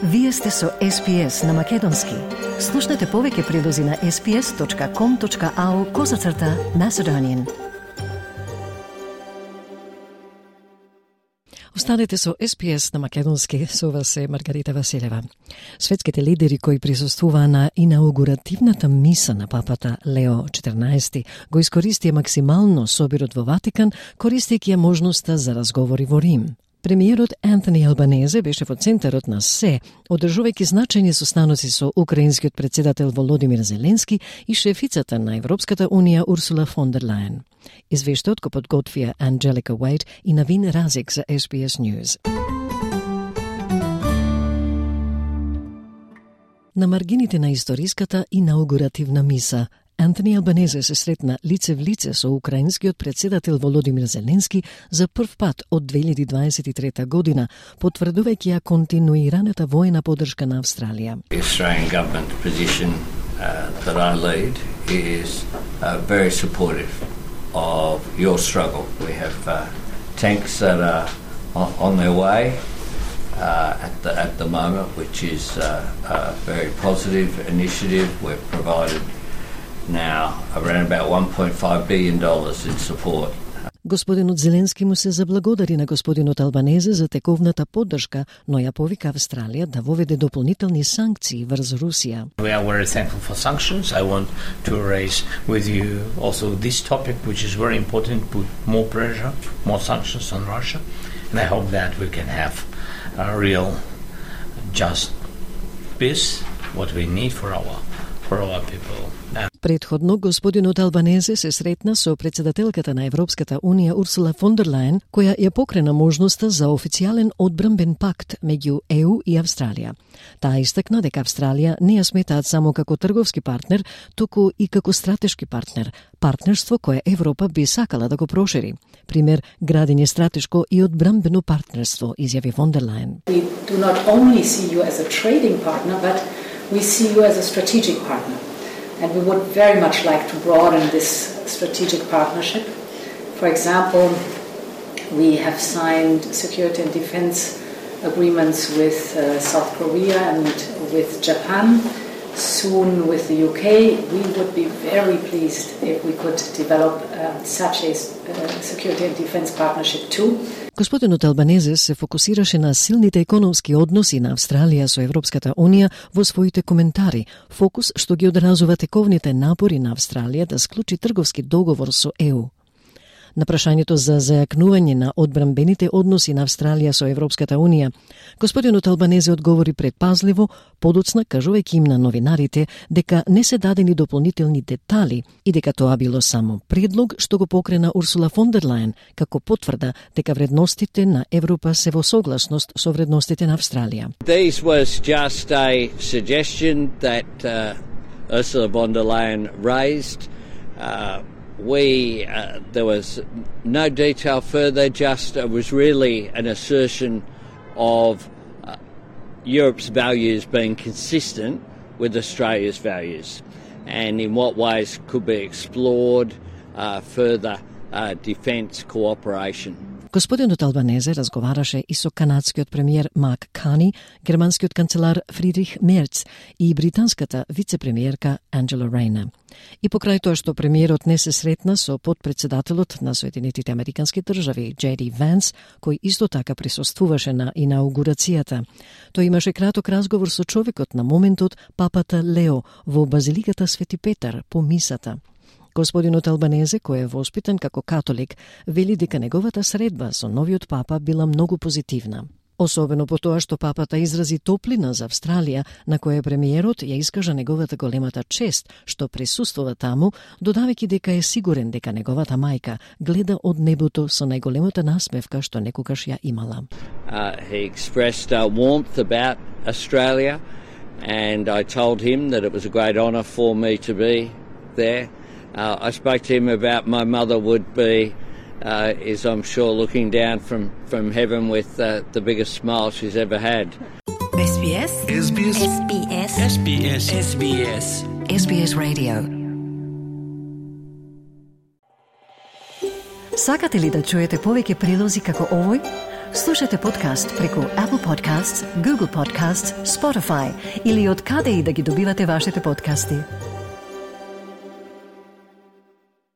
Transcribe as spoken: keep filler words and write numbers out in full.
Вие сте со Ес Би Ес на Македонски. Слушнете повеќе прилози на ес би ес точка ком точка ау козацрта Macedonian. Останете со Ес Би Ес на Македонски, со вас е Маргарита Василева. Светските лидери кои присуствуваа на инаугуративната миса на папата Лео четрнаести го искористија максимално собирот во Ватикан, користејќи ја можноста за разговори во Рим. Премиерот Антони Албанезе беше во центарот на се, одржувајќи значајни состаноци со украинскиот председател Володимир Зеленски и шефицата на Европската унија Урсула фон дер Лајен. Извештајот го подготвија Анджелика Уајт и Навин Разик за Ес Би Ес News. На маргините на историската инаугуративна миса, Антони Албанезе се сретна лице в лице со украинскиот председател Володимир Зеленски за прв пат од две илјади дваесет и трета година, потврдувајќи ја континуираната војна поддршка на Австралија. The Australian government position uh, that I lead is uh, very supportive of your struggle. We have uh, tanks that are on, on their way uh, at the at the moment, which is uh, a very positive initiative. We've provided now around about one point five billion dollars in support. Господинот Зеленски му се заблагодари на господинот Албанезе за тековната поддршка, но ја повика Австралија да воведе дополнителни санкции врз Русија. We are very thankful for sanctions. I want to raise with you also this topic, which is very important, put more pressure, more sanctions on Russia, and I hope that we can have a real just peace, what we need for our for our people. Предходно, господинот Албанезе се сретна со председателката на Европската унија Урсула фон дер Лајен, која ја покрена можноста за официјален одбранбен пакт меѓу Е У и Австралија. Таа истакна дека Австралија не ја сметаат само како трговски партнер, туку и како стратешки партнер, партнерство кое Европа би сакала да го прошири. Пример, градење стратешко и одбранбено партнерство, изјави фон дер Лајен. We do not only see you as a trading partner, but we see you as a strategic partner. And we would very much like to broaden this strategic partnership. For example, we have signed security and defense agreements with uh, South Korea and with Japan, soon with the U K. We would be very pleased if we could develop uh, such a uh, security and defense partnership too. Господинот Албанезе се фокусираше на силните економски односи на Австралија со Европската унија во своите коментари, фокус што ги одразува тековните напори на Австралија да склучи трговски договор со Е У. На прашањето за зајакнување на одбранбените односи на Австралија со Европската унија, господинот Албанезе одговори предпазливо, подоцна кажувајќи им на новинарите дека не се дадени дополнителни детали и дека тоа било само предлог што го покрена Урсула фон дер Лајен, како потврда дека вредностите на Европа се во согласност со вредностите на Австралија. This was just a suggestion that uh, Ursula von der Leyen raised. Uh, We, uh, there was no detail further, just it was really an assertion of uh, Europe's values being consistent with Australia's values, and in what ways could be explored uh, further uh, defence cooperation. Господинот Албанезе разговараше и со канадскиот премиер Мак Кани, германскиот канцелар Фридрих Мерц и британската вице-премиерка Анджела Рейна. И покрај тоа што премиерот не се сретна со подпредседателот на Соединетите Американски држави Джей Ди Ванс, кој исто така присуствуваше на инаугурацијата, тој имаше краток разговор со човекот на моментот, папата Лео, во базиликата Свети Петар по мисата. Господинот Албанезе, кој е воспитан како католик, вели дека неговата средба со новиот папа била многу позитивна. Особено по тоа што папата изрази топлина за Австралија, на која премиерот ја искажа неговата големата чест што присуствува таму, додавајќи дека е сигурен дека неговата мајка гледа од небото со најголемата насмевка што некогаш ја имала. Uh, he expressed uh, warmth about Australia, and I told him that it was a great honour for me to be there. Uh, I spoke to him about my mother would be, uh, is I'm sure looking down from, from heaven with uh, the biggest smile she's ever had. Ес Би Ес Ес Би Ес Ес Би Ес Ес Би Ес Ес Би Ес Ес Би Ес Radio. Сакате ли да чуете повеќе прилози како овој? Слушате подкаст преку Apple Podcasts, Google Podcasts, Spotify или од каде и да ги добивате вашите подкасти.